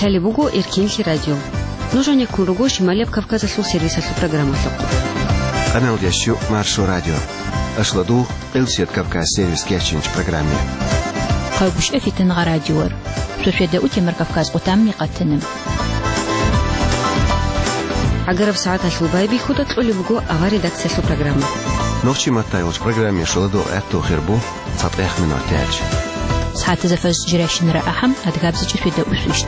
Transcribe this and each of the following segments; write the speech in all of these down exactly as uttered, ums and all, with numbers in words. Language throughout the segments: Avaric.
Лъалеб буго Эркенлъи радио. Нуж гьанеккун руго Шималияб Кавказалъул сервисалъул программалъухъ. Къаналдящу Маршо радио. Ашладугъ, Къилсият Кавказ сервис кечинч программе. Хъайгушъа фитангъа радиор. Шошведа утемар Кавказ къутамни къатана. ГӀагараб сагӀаталъул байбихьуда кьолеб буго авар редакциялъул программа. Нохчи матайгъуч программе шуладугъ гӀатту хирбу. ЦатӀех минутач. СагӀатазда фажр жирайщинара ахӀам, адгабзичӀеб шведа усвищ.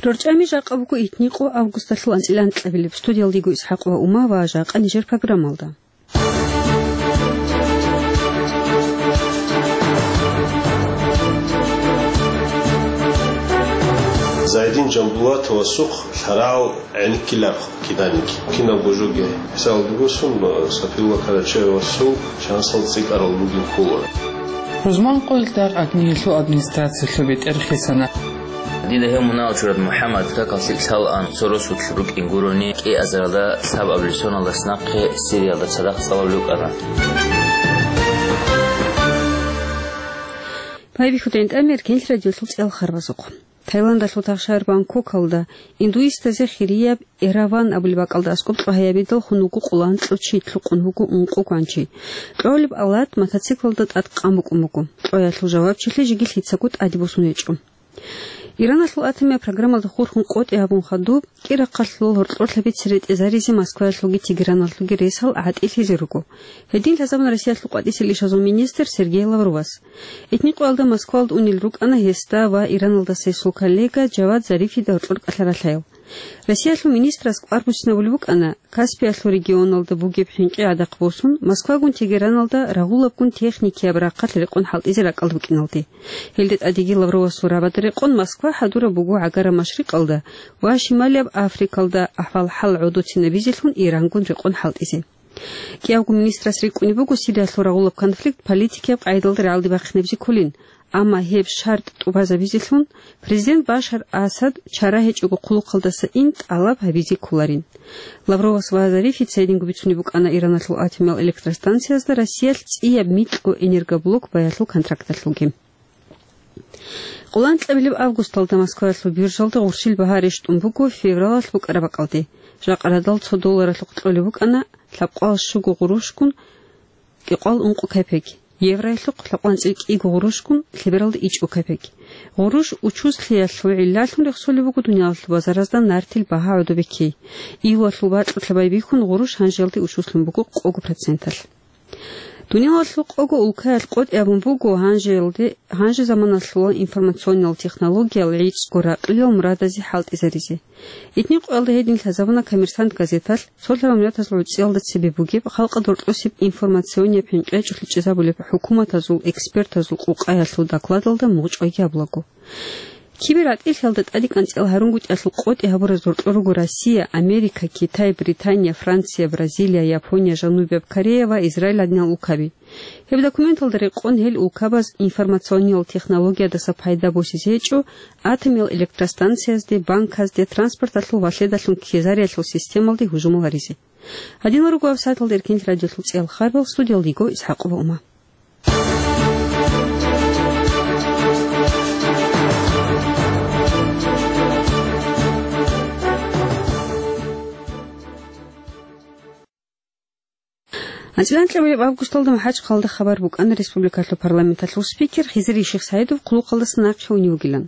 РорчӀами жакъа буго итникъо августалъул анцӀила анкьабилеб. Студиялдего ИсхӀакъ ва Ума ва жакъа нижер программалда. Зайдин Жамбулатовасухъ лъарагӀал гӀенеккилаб киданиги. Кинабго жоги хӀисабалда босун, Сапиулла Карачаевасул шансал цӀикӀкӀарал ругин ккола. Рузман къоялъ дагь ГӀадниялъул администрациялъул бетӀер хисана. Дида гьев мунагьал чурад МухӀаммад какал лъикӀ лъалаан, цо росулъ рукӀин гурони, кӀиазаралда лъабабилеб соналдаса нахъе Сириялда цадахъ цӀалулев вукӀана. Байбихьуда гӀинтӀами Эркенлъи радиолъул цӀел харбазухъ. Таиландалъул тахшагьар Бангкокалда индуистазе хирияб Эраван абулеб бакӀалда аскӀоб кьогьабидалхун вуго къоло анкьго чи, лъукъун вуго ункъо гванчи. Кьолеб алат мотоциклалда тӀад къан букӀун буго. Кьоялъул жавабчилъи жеги лъицаго тӀаде босун гьечӀо. Ираналъул атомияб программалда хурхун къотӀи гьабун хадуб, кӀирахъалъулал гьоркьорлъаби цере тӀезаризе Москваялъулги Тегераналъулги ресал гӀатӀилъизе руго. Гьедин лъазабун Россиялъул къватӀисел ишазул министр Сергей Лавровас. Итникъоялда Москвалда унел рукӀана гьесда ва Ираналдаса гьесул коллега Жавад Зарифида гьоркьор кӀалъаралъаял. Россиялъул министрас кӀвар буссинабулеб букӀана Каспиялъул регионалда бугеб хӀинкъи гӀадахъ босун, Москвагун Тегераналда рагъулабгун техникияб рахъалъ рекъон хӀалтӀизе ракӀалда букӀиналде. Гьелде тӀадеги Лавровасул рагӀабада рекъон Москва хӀадураб буго ГӀагараб Машрикъалда ва Шималияб Африкалда ахӀвал-хӀал гӀодоцинабизелъун Ирангун рекъон хӀалтӀизе. КӀиявго министрас рикӀкӀунеб буго Сириялъул рагъулаб конфликт политикияб къагӀидалда рагӀалде бахъинабизе кколин, амма гьеб шартӀ тӀубазабизелъун президент Башар Асад чара гьечӀого хъулухъалдаса ин тӀалаб гьабизе кколарин. Лавровас ва Зарифица гьединго бицунеб букӀана Ираналъул атомиял электростанциязда Россиялъ цӀияб микьго энергоблок баялъул контракталъулги. Къоло анкьабилеб августалда Москваялъул биржалда гъурщил багьа рещтӀун буго февралалъ букӀараб бакӀалде. Жакъа радал цо долларалъухъ кьолеб букӀана лъабкъоялда щуго гъурущгун кӀикъоялда ункъо капек, евроялъухъ лъабкъоялда анцӀила кӀиго гъурущгун лъебералда ичӀго капек. Гъурущ учузлъиялъул гӀиллалъун рехсолеб буго дуниялалъул базаразда нартил багьа гӀодобекей. Июлалъул бакьулъа байбихьун гъурущ гьанжеялде учузлъун буго къого проценталъ. Дуниялалъул къого улкаялъ къотӀи абун буго гьанжеялде, гьанже заманалъула информационниял технологиял гӀицӀго ракьлъиял мурадазе хӀалтӀизаризе. Итникъоялда гьедин лъазабуна Коммерсант газеталъ, цолъарал миллатазул гӀуцӀиялда цебе бугеб, халкъалда рокьосеб информационнияб хӀинкъи гьечӀолъи чӀезабулеб хӀукуматазул экспертазул къукъаялъул докладалда мугъчӀвайги гьабулаго. КибергӀатӀилъиялда тӀаде кӀанцӀила гьарунгутӀиялъул къотӀи гьабураз гьоркьор руго Россия, Америка, Китай, Британия, Франция, Бразилия, Япония, Жанубияб Корея ва Израиль гӀадинал улкаби. Гьеб документалда рекъон гьел улкабаз информационниял технологиядаса пайда босизе гьечӀо, атомиял электростанциязде, банказде, транспорталъул ва лъедалъун ккезариялъул системалде гьужумал гьаризе. Гьадинал руго авсаталда Эркенлъи радиолъул цӀел харбал, студиялда йиго ИсхӀакъова Ума. АнцӀила анкьабилеб августалда МахӀачхъалда хабар букӀана республикалъул парламенталъул спикер Хизри Шихсаидов хъулухъалдаса нахъе унев вугилан.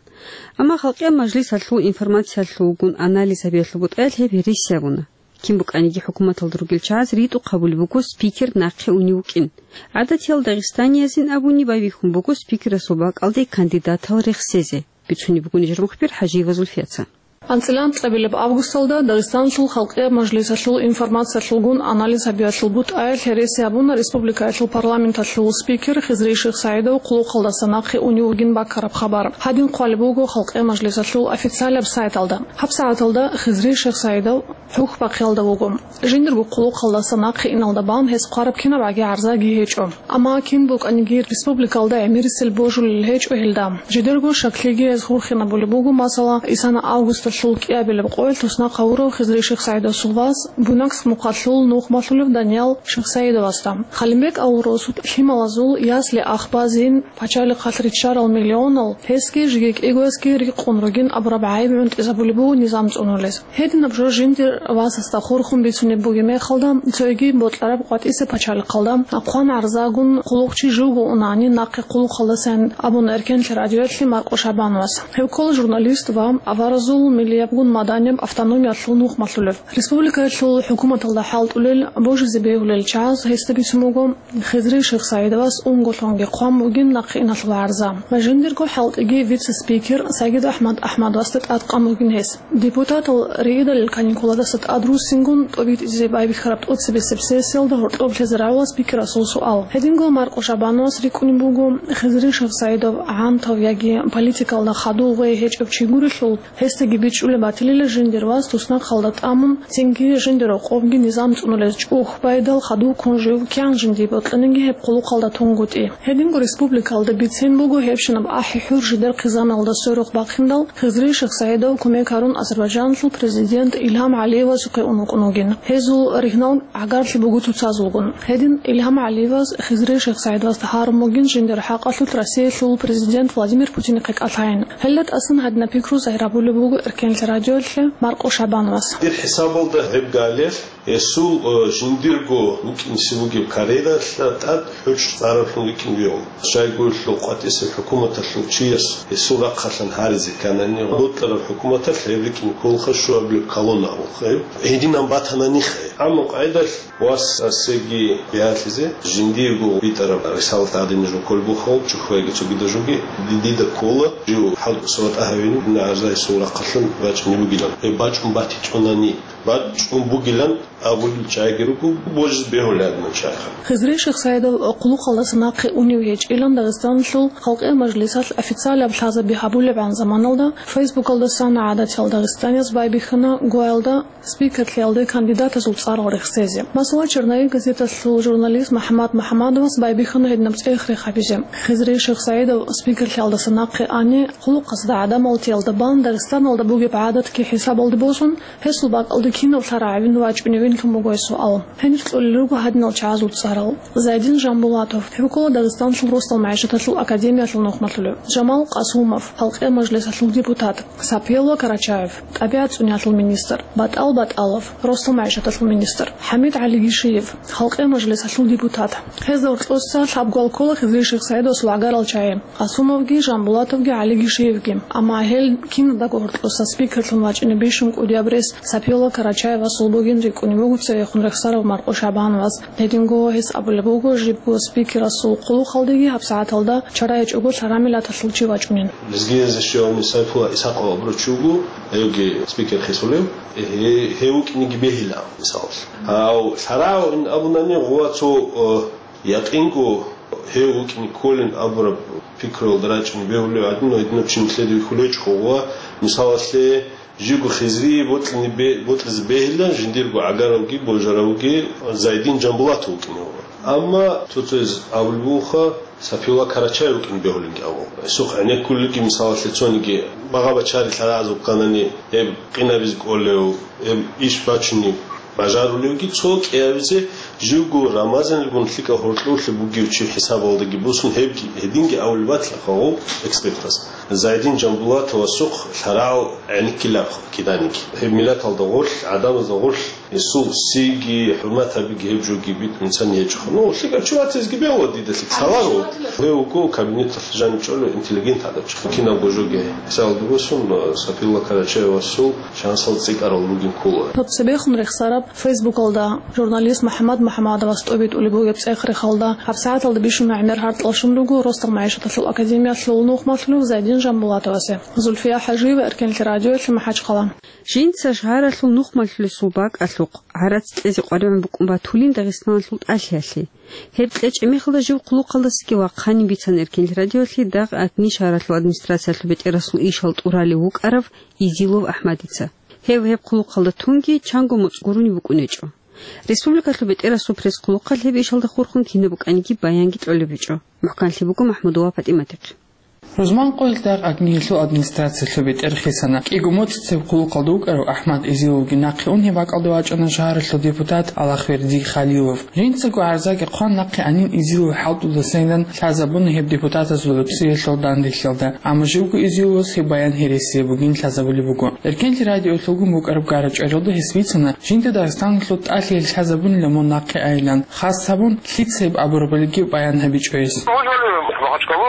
Амма Халкъиял мажлисалъул информациялъулгун анализ гьабиялъул бутӀаялъ гьеб гьереси абуна. Кин букӀаниги хӀукуматалда ругел чагӀаз ритӀухъ гьабулеб буго спикер нахъе унев вукӀин. ГӀадатиял дагъистаниязин абуни байбихьун буго спикерасул бакӀалде кандидатал рехсезе, бицунеб буго нижер мухбир ХӀажиева Зульфияца. АнцӀила анкьабилеб августалда Дагъистаналъул Халкъияб мажлисалъул информациялъулгун анализ гьабиялъул бутӀаялъ гьереси абуна республикаялъул парламенталъул спикер Хизри Шихсаидов хъулухъалдаса нахъе унев вугин баккараб хабар. Гьадин хъвалеб буго Халкъияб мажлисалъул официалаб сайталда. ГьабсагӀаталда Хизри Шихсаидов ХӀухьбахъиялда вуго. Жиндирго хъулухъалдаса нахъе иналда бан гьес хъвараб кинабгӀаги гӀарзаги гьечӀо. Амма кин букӀаниги республикалда гӀемерисел божулел гьечӀо гьелда. Жидерго шаклъиги гьез хурхинабулеб буго, масала, исана августа Лъул кӀиабилеб къоялъ туснахъ гьавурав Хизри Шихсаидовасул вас Буйнакск мухъалъул нухмалъулев Даниял Шихсаидовасда, Халимбек авурав сут лъималазул ясли ахбазин пачалихъалъ риччарал миллионал гьесги жеги кӀигоясги рикъун ругин абураб гӀайиб гӀунтӀизабулеб буго низам цӀунулез. Гьединаб жо жиндир васасда хурхун бицунеб бугеб мехалда, цоги бокьараб къватӀисеб пачалихъалда хъван гӀарзагун хъулухъчи живго унани нахъе хъулухъалдасан абун Эркенлъи радиоялъе Маркъо Шабановас. Гьев ккола журналист ва аваразул миллиябгун маданияб автономиялъул нухмалъулев. Республикаялъул хӀукуматалда хӀалтӀулел божизе бегьулел чагӀаз гьесда бицун буго, Хизри Шихсаидовас унголъунги хъван бугин нахъе иналъул гӀарза ва жиндирго хӀалтӀиги вице-спикер Сагид АхӀмад АхӀмадовасда тӀадкъан бугин гьес. Депутатал риидалил каникуладаса тӀад руссингун тӀобитӀизе байбихьараб тӀоцебесеб сессиялда гьоркьоб лъезе рагӀула спикерасул суал. Гьединго Маркъо Шабановас рикӀкӀунеб буго, Хизри Шихсаидов гӀантав яги политикалда хадув гъой гьечӀев чи гурелъул, гьесдаги бичӀчӀулеб батилила жиндир вас туснахъалда тӀамун, цинги жиндир рокъобги низам цӀунулез чӀухӀ байдал хадув ккун жив кигӀан жиндие бокьаниги гьеб хъулухъалда тунгутӀи. Гьединго республикалда бицен буго гьебщинаб ахӀи-хӀур жидер хъизаналда сверухъ бахъиндал, Хизри Шихсаидов кумек гьарун Азербайджаналъул президент Илгьам ГӀалиевасухъе ун вукӀун вугин. Гьезул ригьнал гӀагарлъи буго цоцазулгун. Гьедин Илгьам ГӀалиевас Хизри Шихсаидовасда гьарун бугин жиндир хӀакъалъулъ Россиялъул президент Владимир Путинихъе кӀалъайин. Гьелда тӀасан гьадинаб пикру загьир гьабулеб буго Эркенлъи радиоялъе Маркъо Шабановас. Дир хӀисабалда гьеб галер, гьесул, э, жиндирго вукӀинси бугеб карьералъа тӀад хӀучӀ цӀараблъун рикӀкӀин вегӀун. Щайгурелъул къватӀисеб хӀукуматалъул чияс гьесул рахъалъан гьаризе кканани, бокьараб хӀукуматалъ гьеб рикӀкӀин кколха щуабилеб колонна абулха гьеб. Гьединан батананихъе. Амма къайдалъ вас асеги биялъизе, жиндиего битӀараб рисалат гӀадин жо кколебухъал, чӀухӀвайги цогида жоги, ди-, дида ккола, жив хӀал суратӀа гьавин, гӀарза гьесул рахъалъан бачӀунеб бугилан. Гьеб бачӀун батичӀунани, бачӀун бугилан абулел чагӀиги руго, божизе бегьулеб гьадинал чагӀиха. Хизри Шихсаидов хъулухъалдаса нахъе унев гьечӀилан Дагъистаналъул Халкъиял мажлисалъ официалаб лъазаби гьабулебгӀан заманалда Фейсбукалдасан гӀадатиял дагъистанияз байбихьана гуялда спикерлъиялде кандидатазул цӀарал рехсезе. Масала, «Черновик» газеталъул журналист МухӀаммад МухӀаммадовас байбихьана гьединаб цӀех-рех гьабизе. Хизри Шихсаидов спикерлъиялдаса нахъе ани, хъулухъазда гӀадамалтиялда бан Дагъистаналда бугеб гӀадатги хӀисабалде босун, гьесул бакӀалде кинаб лъарагӀавин вачӀуневинлъун буго гьесул ал. Гьениб кьолел руго гьадинал чагӀазул цӀарал. Зайдин Жамбулатов, гьев ккола Дагъистаналъул росдал магӀишаталъул академиялъул нухмалъулев, Жамал Къасумов, Халкъиял мажлисалъул депутат, Сапиялла Карачаев, тӀабигӀат цӀуниялъул министр, БатӀал БатӀалов, росдал магӀишаталъул министр, ХӀамид ГӀалигишиев, Халкъиял мажлисалъул депутат. Гьезда гьоркьоса лъабго ал ккола Хизри Шихсаидовасул гӀагарал чагӀи, Къасумовги, Жамбулатовги, ГӀалигишиевги. Амма гьел киназдаго гьоркьоса спикерлъун вачӀине бищун кӀудияб рес Сапиялла Карачаевасул бугин рикӀкӀунеб буго цевехун рехсарав Маркъо Шабановас. Гьединго гьес абулеб буго, жибго спикерасул хъулухъалдеги гьабсагӀаталда чара гьечӀого лъарамилаталъул чи вачӀунин. Лезгиязде щвеялъни Сайфулла Исхаков абурав чи вуго, гьевги спикер хисулев, гье-, гьев вукӀинеги бегьила, мисалалъ. Гьав лъарагӀав ин абунани гъова цо, э, якъинго гьев вукӀине кколин абураб пикруялда рачӀине бегьулев гӀадин, гьединав чи нилъеда вихьулечӀого гъова, мисалалъе, Живго Хизрие бокьине бе-, бокьизе бегьилан жиндирго гӀагаравги божаравги Зайдин Жамбулатов вукӀине вугӀун. Амма цо-цояз абулеб бугоха, Сапиулла Карачаев вукӀине бегьулинги абун. Гьесухъ гӀенеккулелги, мисалалъе, цониги багъа-бачари лъарагӀазул кканани, гьеб къинабизе кӀолев, гьеб иш бачунеб бажарулевги, цо кӀиабизе живго Рамазаналгун лъикӀаб гьоркьорлъи бугев чи хӀисабалдаги босун, гьебги, гьединги абулеб батила гъов экспертас. Зайдин Жамбулатовасухъ лъарагӀал гӀенеккилаб киданиги. Гьеб миллаталда гъорлъ, гӀадамазда гъорлъ, гьесул сиги, хӀурмат гьабиги гьеб жоги битӀун инсан гьечӀо. Ну, лъикӀав чи ватизеги бегьула дида лъикӀ лъаларо. Гьев вуго кабинеталъ жаниб чӀолев интеллигент гӀадамчи. Кинабго жоги хӀисабалда босун, Сапиулла Карачаевасул шансал цӀикӀкӀарал ругин ккола. Гьеб цебехун рехсараб Фейсбукалда журналист МухӀаммад МухӀаммадовас тӀобитӀулеб бугеб цӀех-рехалда, гьабсагӀаталда бищун гӀемер гьаркьалъун руго росдал магӀишаталъул академиялъул нухмалъулев Зайдин Жамбулатовасе. Зульфия ХӀажиева, Эркенлъи радиоялъе, МахӀачхъала. Жинца шагьаралъул нухмалъулесул бакӀалъухъ гӀарац кьезе къваригӀун букӀун батулин Дагъистаналъул тӀалъиялъе. Гьеб кьечӀеб мехалда жив хъулухъалдасаги вахъанин бицан Эркенлъи радиоялъе дагъ Агни шагьаралъул администрациялъул бетӀерасул ишал тӀуралев вукӀарав Изилов АхӀмадица. Гьев гьеб хъулухъалда тунги чанго моцӀ гурони букӀун гьечӀо. Республикалъул бетӀерасул пресс-хъулухъалъ гьеб ишалда хурхун кинаб букӀаниги баянги кьолеб гьечӀо. МухӀканлъи буго МахӀмудова ПатӀиматихъ. Рузманкъоялъ дагъ агниялъул администрациялъул бетӀер хисана. КӀиго моцӀ цеб хъулухъалда вукӀарав АхӀмад Эзиловги нахъе ун гьеб бакӀалде вачӀана шагьаралъул депутат Алахверди Халилов. Жинцаго гӀарзаги хъван нахъе анин Эзилов хӀалтӀудасайилан лъазабуна гьеб депутатазул гӀуцӀиялъул данделъиялда, амма живго Эзиловас гьеб баян гьересияб бугин лъазабулеб буго. Эркенлъи радиоялъулгун букӀараб гара-чӀваралда гьес бицана, жинда Дагъистаналъул тӀалъи гьел лъазабунила мун нахъе айилан, хас гьабун, лъица гьеб абурабалиги баян гьабичӀо гьес. Вызвали в Махачкалу,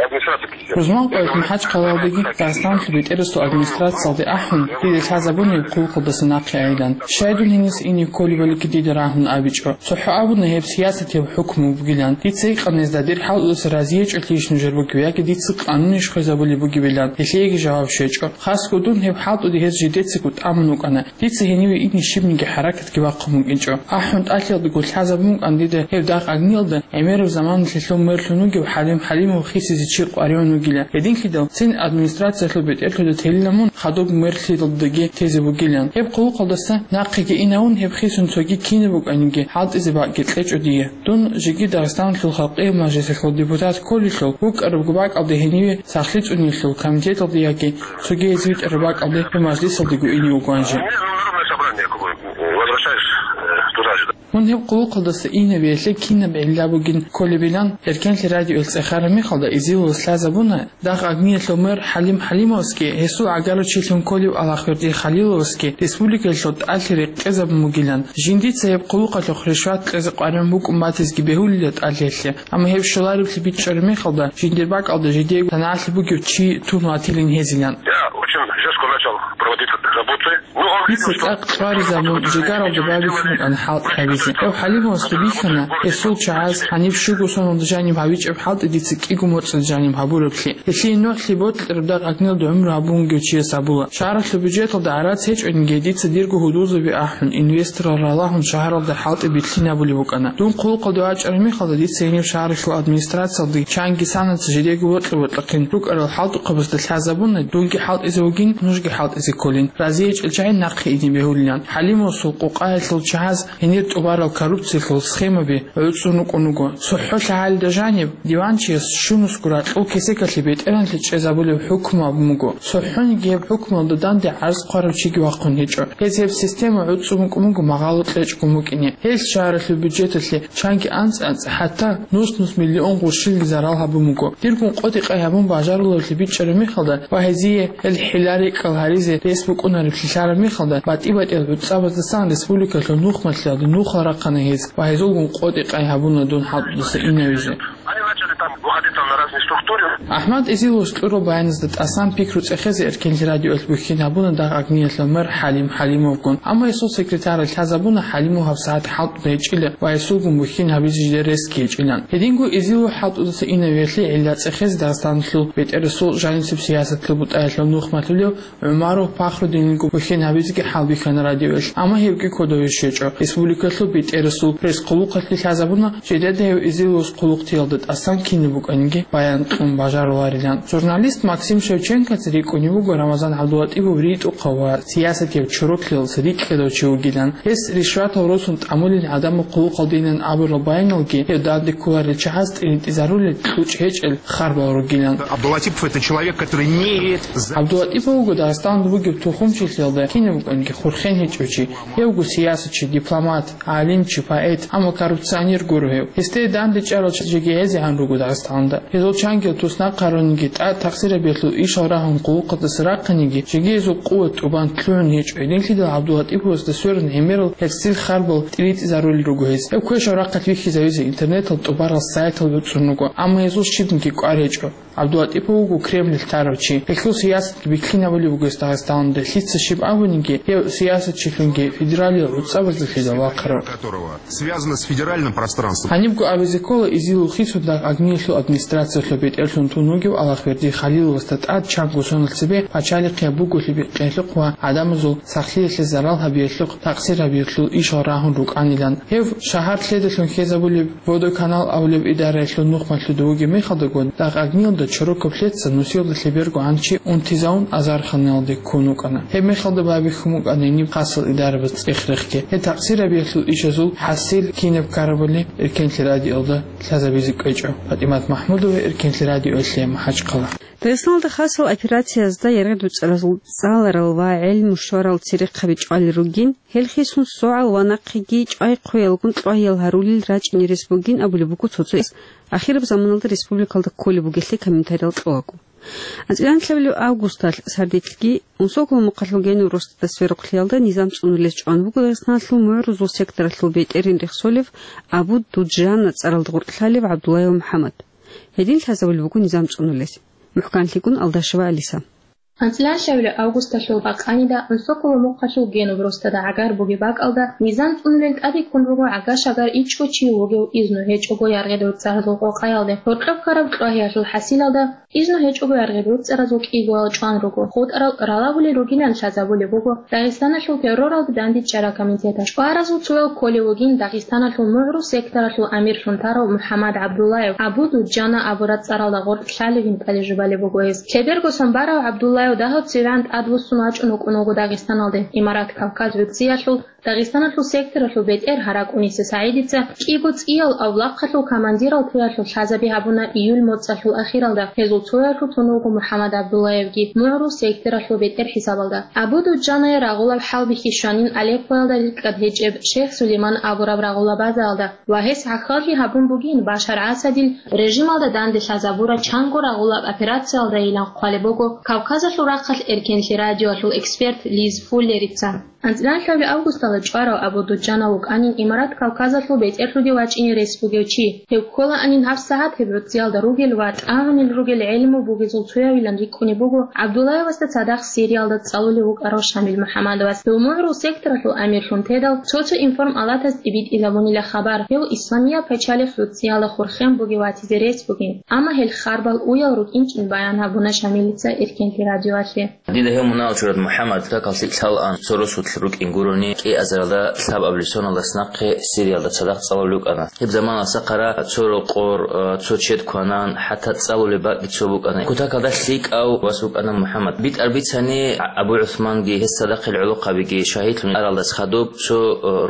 администрация президента. Рузманкъоялъ МахӀачхъалаялдаги Дагъистаналъул бетӀерасул администрациялде ахӀун, дида лъазабуна гьеб хъулухъалдаса нахъе айилан. Щай дун гьениса ине кколебалиги дида рагьун абичӀо. ЦохӀо абуна гьеб сиясатияб хӀукму бугилан. Дица гьикъана гьезда, дир хӀалтӀудаса разиячӀолъийищ нужер бугеб яги дица къанунищ хвезабулеб бугебилан. Гьелъиеги жаваб щвечӀо. Хасго дун гьеб хӀалтӀуди гьез жидецаго тӀамун вукӀана. Дица гьениве ине щибниги хӀаракатги бахъун букӀинчӀо. АхӀун тӀалъиялдаго лъазабун букӀана дида гьеб дагъ агниялда гӀемераб заманалъе мерлъун вугев ХӀалим ХӀалимов хисизе чи къваригӀун вугила. Гьединлъидал цин администрациялъул бетӀерлъуда телила мун хадуб мерлъиялдаги тезе бугилан. Гьеб хъулухъалдаса нахъеги инавун гьеб хисун цоги кинаб букӀаниги хӀалтӀизе бакӀги кьечӀо дие. Дун жеги Дагъистаналъул халкъиял мажлисалъул депутат кколелъул, вукӀарабго бакӀалде гьениве сахлъи цӀуниялъул комитеталде яги цоги гьез витӀараб бакӀалде гьев мажлисалдего ине вугоан жи. Мне на Народное собрание как бы, э, возвращаешь, э, туда же. Мун гьеб хъулухъалдаса инабиялъе кинаб гӀилла бугин кколебилан, Эркенлъи радиоялъ цӀехараб мехалда Эзиловас лъазабуна, дагъ агниялъул мэр ХӀалим ХӀалимовасги, гьесул гӀагарав чилъун кколев Алахверди Халиловасги республикаялъул тӀалъи рекъезабун бугилан, жиндица гьеб хъулухъалъухъ ришват кьезе къваригӀун букӀун батизеги бегьулила тӀалъиялъе, амма гьеб щолареблъи бичӀчӀараб мехалда, жиндир бакӀалда жидеего санагӀалъи бугев чи тун ватилин гьезилан. Я очень жестко начал проводить работы. Ну, он видел, что... Дица цӀакъ чӀваризабун, жигаралда бабихьун букӀана хӀалтӀи гьабизе. Гьев ХӀалимовасда бихьана, гьесул чагӀаз гьаниб щуго соналда жаниб гьабичӀеб хӀалтӀи дица кӀиго моцӀалда жаниб гьабураб. Гьелъие нугӀлъи бокьараб дагъ агнилда гӀумру гьабун вугев чияс абула: «Шагьаралъул бюджеталда гӀарац гьечӀониги, дица дирго гьудулзаби ахӀун, инвесторал ралагьун шагьаралда хӀалтӀи битлъинабулеб букӀана. Дун хъулухъалде вачӀараб мехалда дица гьениб шагьаралъул администрациялда чанги санаца жидеего бокьа-бокьахъин рукӀарал хӀалтӀухъабазда лъазабуна, дунги хӀалтӀизе вугин, нужги хӀалтӀизе кколин. РазиячӀел чагӀи нахъе ине бегьулилан». ХӀалимовасул къукъаялъул чагӀаз гьенир тӀубарал коррупциялъул схемаби гӀуцӀун рукӀун руго. ЦохӀо лъагӀалида жаниб диванчияс щунусго ракьул кесекалъе бетӀергьанлъи чӀезабулеб хӀукму абун буго. ЦохӀониги гьеб хӀукмуялда данде гӀарз хъварав чиги вахъун гьечӀо. Гьез гьеб система гӀуцӀун букӀун буго магъало кьечӀгун букӀине. Гьелъ шагьаралъул бюджеталъе чанги анцӀ-анцӀ, хӀатта нус-нус миллион гъурщилги зарал гьабун буго. Диргун къотӀи-къай гьабун бажарулевлъи бичӀчӀараб мехалда ва гьезие гьел хӀилла-рекӀкӀал гьаризе рес букӀунареблъи лъараб мехалда, батӀи-батӀиял гӀуцӀабаздасан республикалъул нухмалъиялде нухал рахъана гьез ва гьезулгун къотӀи-къай гьабуна дун хӀалтӀудаса инавизе. Они начали там выходить там на разные структуры. АхӀмад Эзиловас кьураб баяназда тӀасан пикру цӀехезе Эркенлъи радиоялъ бухьин гьабуна дагъ агниялъул мэр ХӀалим ХӀалимовгун. Амма гьесул секретаралъ лъазабуна ХӀалимов гьаб сагӀат хӀалтӀуда гьечӀила ва гьесулгун бухьин гьабизе жидер ресги гьечӀилан. Гьединго Эзилов хӀалтӀудаса инавиялъе гӀилла цӀехезе Дагъистаналъул бетӀерасул жанисеб сиясатлъул бутӀаялъул нухмалъулев ГӀумаров Пахрудинилгун бухьин гьабизеги хӀалбихьана радиоялъ, амма гьебги кодове щвечӀо. Республикалъул бетӀерасул пресс-хъулухъалъе лъазабуна, жидеда гьев Эзиловас хъулухътиялда тӀасан кинаб букӀаниги баян кьун бажаруларилан. Журналист Максим Шевченкоца рикӀкӀунев вуго Рамазан ГӀабдулатӀипов ритӀухъав ва сиясатияб чороклъиялдаса рикӀкӀадав чи вугилан. Гьес ришватал росун тӀамулин гӀадамал хъулухъалдейилан абурал баяналги, гьев данде кколарел чагӀаз тӀиритӀизарулел кьучӀ гьечӀел харбал ругилан. Абдулатипов — это человек, который не имеет за- ГӀабдулатипов вуго Дагъистаналда бугеб тухумчилъиялда кинаб букӀаниги хурхен гьечӀев чи. Гьев вуго сиясатчи, дипломат, гӀалимчи, поэт, амма коррупционер гуро гьев. Гьесде данде чӀарал чагӀиги гӀезегӀан руго Дагъистаналда. Гьезул чангил туснахъ гьаруниги, тӀад-тахсирабиялъул ишал рагьун хъулухъалдаса рахъиниги, жеги гьезул къуват тӀубан лъугӀун гьечӀо. Гьединлъидал ГӀабдулатӀиповасда сверун гӀемерал гьерсил харбал тӀиритӀизарулел руго гьез. Гьев квешал рахъалъ вихьизавизе интернетал тӀубарал сайтал буцӀцӀун руго, амма гьезул щибниги кӀвар гьечӀо. ГӀабдулатӀипов вуго Кремлалъ тарав чи. Гьелъул сиясатги биклъинабулеб буго гьес Дагъистаналда. Лъица щиб абуниги, гьев сиясатчилъунги федералияб гӀуцӀабаздалъидал вахъарав. Которого связано с федеральным пространством. Гьанибго абизе ккола Эзилов хисун дагъ агниялъул администрациялъул бетӀерлъун тун вугев Алахверди Халиловасда тӀад чанго соналъ цебе пачалихъияб буголъи бикъиялъухъ ва гӀадамазул сахлъиялъе зарал гьабиялъухъ, такъсир гьабиялъул ишал рагьун рукӀанилан. Гьев шагьар лъедалъун хьезабулеб Водоканал абулеб идараялъул нухмалъуда вугеб мехалдаго, дагъ агниялда Чороков Лъеца нусиялда лъеберго гӀанчи унтизавун азарханалде ккун вукӀана. Гьеб мехалда байбихьун букӀана гьениб хасал идарабаз цӀех-рехги. Гьеб такъсир гьабиялъул ишазул хӀасил кинаб ккарабали Эркенлъи радиоялда лъазабизе кӀвечӀо. ПатӀимат МахӀмудова, Эркенлъи радиоялъе МахӀачхъала. Дагъистаналда хасал операциязда яргъи-дуцӀаразул цӀаларал ва гӀелму щварал церехъаби чӀвалел ругин, гьел хисун согӀал ва нахъеги чӀвай-хъвеялгун кьвагьиял гьарулел рачӀине рес бугин абулеб буго цо-цояс, ахираб заманалда республикалда кколеб бугелъе комментариял кьолаго. АнцӀила нилъабилеб августалъ сардилъги Унсоколо мухъалъул генуб росдада сверухълъиялда низам цӀунулес чӀван буго Дагъистаналъул мугӀрузул секторалъул бетӀерин рехсолев Абу Дуджана цӀаралда гъоркьлъалев ГӀабдуллаев МухӀаммад. Гьедин лъазабулеб буго низам цӀунулес. МухӀканлъикӀун Алдашева Алиса. АнцӀила нилъабилеб августалъул бакъанида Унсоколо мухъалъул генуб росдада гӀагар бугеб бакӀалда низам цӀунулел тӀаде ккун буго гӀага-шагар ичӀго чи вугев изну гьечӀого яргъи-дуцӀаразул къокъаялде. Гьоркьоб ккараб кьвагьиялъул хӀасилалда изну гьечӀого яргъи-дуцӀаразул кӀигоял чӀван руго, хутӀарал ралабулел ругилан лъазабулеб буго Дагъистаналъул терроралда дандечӀараб комитеталъ. ЧӀваразул цоял кколев вугин Дагъистаналъул мугӀру секторалъул амирлъун тарав МухӀаммад ГӀабдуллаев, Абу Дуджана абураб цӀаралда гъоркьлъалевин тӀаде жубалеб буго гьес. Лъеберго сон барав ГӀабдуллаев дагьаб цевегӀан тӀадвуссун вачӀун вукӀун вуго Дагъистаналде. Имарат Кавказ гӀурцӀиялъул Дагъистаналъул секторалъул бетӀер ГьаракӀуниса СагӀидица кӀиго цӀиял авлахъалъул командирал туялъул лъазаби гьабуна июль моцӀалъул ахиралда. Гьезул цоялъул тун вуго МухӀаммад ГӀабдуллаевги мугӀрул секторалъул бетӀер хӀисабалда. Абу Дуджанае рагъулаб хӀалбихьи щванин Алеппоялда рикӀкӀад гьечӀеб Шейх Сулейман абураб рагъула базаялда ва гьес гӀахьаллъи гьабун бугин Башар Асадил режималда данде лъазабураб чанго рагъулаб операциялдайилан хъвалеб буго Кавказалъул рахъалъ Эркенлъи радиоялъул эксперт Лиз Фуллерица. АнцӀила нилъабилеб августалда чӀварав Абу Дуджана вукӀанин Имарат Кавказалъул бетӀерлъуде вачӀине рес бугев чи. Гьев кколаанин гьабсагӀат гьеб гӀурцӀиялда ругел ва тӀагӀунел ругел гӀелму бугезул цоявилан рикӀкӀунеб буго ГӀабдуллаевасда цадахъ Сириялда цӀалулев вукӀарав Шамил МухӀаммадовас. Гьев мугӀрул секторалъул амирлъун тедал, цо-цо информалатазде битӀизабунила хабар, гьев Исламияб пачалихъ гӀурцӀиялда хурхен бугев ватизе рес бугин, амма гьел харбал уял рукӀинчӀин баян гьабуна Шамилица Эркенлъи радиоялъе. Дида гьев мунагьал чурад МухӀаммад какалъи лъалаан, цо росулъ рукӀин гурони, кӀиазаралда лъабабилеб соналдаса нахъе Сириялда цадахъ цӀалулев вукӀана. Гьеб заманалъ сахара цо рокъор, цо чед кванан, хӀатта цӀалулеб бакӀги цо букӀана. Кутакалда лъикӀав вас вукӀана МухӀаммад. БитӀар бицани, Абу ГӀусманги гьес цадахъил гӀолохъабиги шагьидлъун аралдас хадуб, цо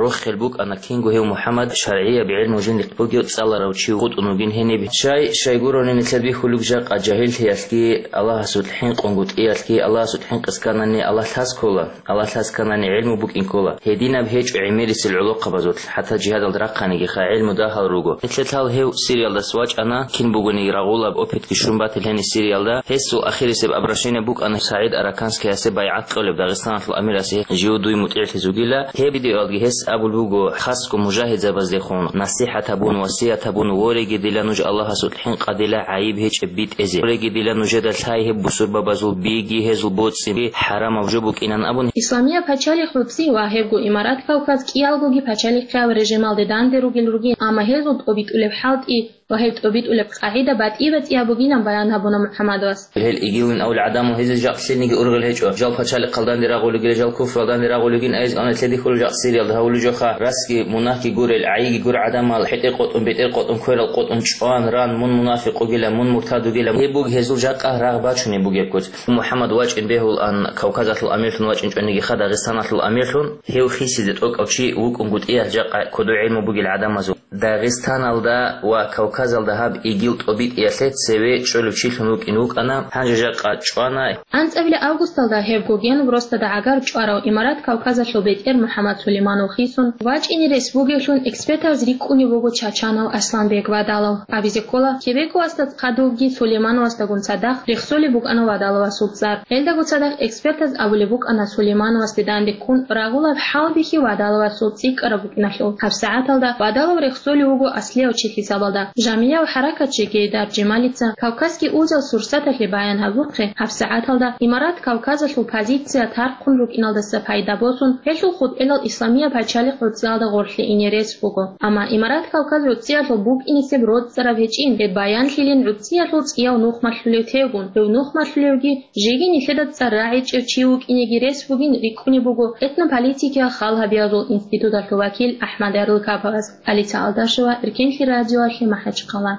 рохел букӀана, кинго гьев МухӀаммад шаргӀияб гӀелму жиндихъ бугев цӀаларав чи вукӀун вугин гьениб. Щай, щай гурони нилъер бихьулеб жакъа жагьиллъиялъги, Аллагьасул хӀинкъунго тӀиялъги, Аллагьасул хӀинкъи кканани Аллагь лъаз ккола, Аллагь лъаз кканани гӀелму букӀин ккола. Гьединаб гьечӀо гӀемерисел гӀолохъабазулъ, хӀатта жигьадалда рахъаниги ха гӀелму дагьал руго. Нилъер лъал гьев Сириялдас вачӀана, кин бугони рагъулаб опытги щун батил гьениб Сириялда. Гьесул ахирисеб обращение букӀана СагӀид Араканскиясе байгӀат кьолеб Дагъистаналъул амирасе, жив дуй мутӀигӀлъиз вугила. Гьеб видеоялги гьес абулеб буго, хасго мужагьидзабаздехун насихӀат гьабун, васият гьабун: «Вореги дила нуж Аллагьасул хӀинкъа дила гӀайиб гьечӀеб битӀезе. Вореги дила нужеда лъай гьеб бусурбабазул биги гьезул боцӀи хӀарамаб жо букӀинан», – абун. Исламияб пачалихъ гӀурцӀи ва гьебго Имарат Кавказ кӀиялгоги пачалихъияб режималде данде ругел ругин, амма гьезул тӀобитӀулеб хӀалтӀи ва гьеб тӀобитӀулеб къагӀида батӀи-батӀияб бугилан баян гьабуна МухӀаммадовас. Гьел игилин авлел гӀадамал гьезие жакъ лъилниги ургъел гьечӀо. Жал пачалихъалданде рагъулигила, жал куфралданде рагъулигин айз ана лъедихьулел жакъ Сириялда гьавулел жоха, расги мунагьги гурел, гӀайиги гур гӀадамал, хӀетӀе къотӀун, бетӀер къотӀун, кверал къотӀун, чӀван, ран, мун мунафикъ вугила, мун муртад вугила. Гьеб буго гьезул жакъа рагъ бачунеб бугеб куц. МухӀаммад вачӀин бегьулан, Кавказалъул амирлъун вачӀинчӀониги ха Дагъистаналъул амирлъун, гьев хисизе тӀокӀав чи вукӀунгутӀиялъ жакъа кодо гӀелму бугел гӀадамазул. Дагъистаналда ва Кавказалда гьаб игил тӀобитӀиялъе цеве чӀолев чилъун вукӀин вукӀана, гьанже жакъа чӀвана. АнцӀабилеб августалда гьебго генуб росдада гӀагар чӀварав Имарат Кавказалъул бетӀер МухӀаммад Сулейманов хисун вачӀине рес бугевлъун экспертаз рикӀкӀунев вуго Чачанов Асланбек Вадалов. Абизе ккола, Кебекоасда хадубги Сулеймановасдагун цадахъ рехсолеб букӀана Вадаловасул цӀар. Гьелдаго цадахъ экспертаз абулеб букӀана Сулеймановасде данде ккун рагъулаб хӀалбихьи Вадаловасул цӀикӀкӀараб букӀиналъул. ГьабсагӀаталда Вадалов рехсолев вуго аслияв чи хӀисабалда. Жамияв хӀаракатчи Гейдар Жемалица «Кавказский узел» сурсаталъе баян гьабурхъе, гьабсагӀаталда Имарат Кавказалъул позиция тархъун рукӀиналдаса пайда босун, гьелъул хутӀелал Исламияб пачалихъ гӀурцӀиялда гъорлъе ине рес буго. Амма Имарат Кавказ гӀурцӀиялъул букӀинесеб роцӀцӀараб гьечӀин, гьеб баянлъилин гӀурцӀиялъул цӀияв нухмалъулев тевгун, гьев нухмалъулевги, жеги нилъеда цӀар рагӀичӀев чи вукӀинеги рес бугин рикӀкӀунеб буго этнополитикиял хал гьабиязул институталъул вакил АхӀмад Ярлыкаповас. Алиса Алдашева, Эркенлъи радиоялъе, МахӀачхъала.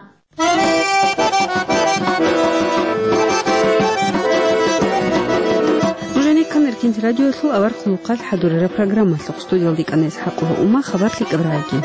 Динт радиоялъул авар хъулухъалъ хӀадурараб программалъухъ студиялда икӀана ИсхӀакъула Ума, хабар лъикӀаб рагӀи.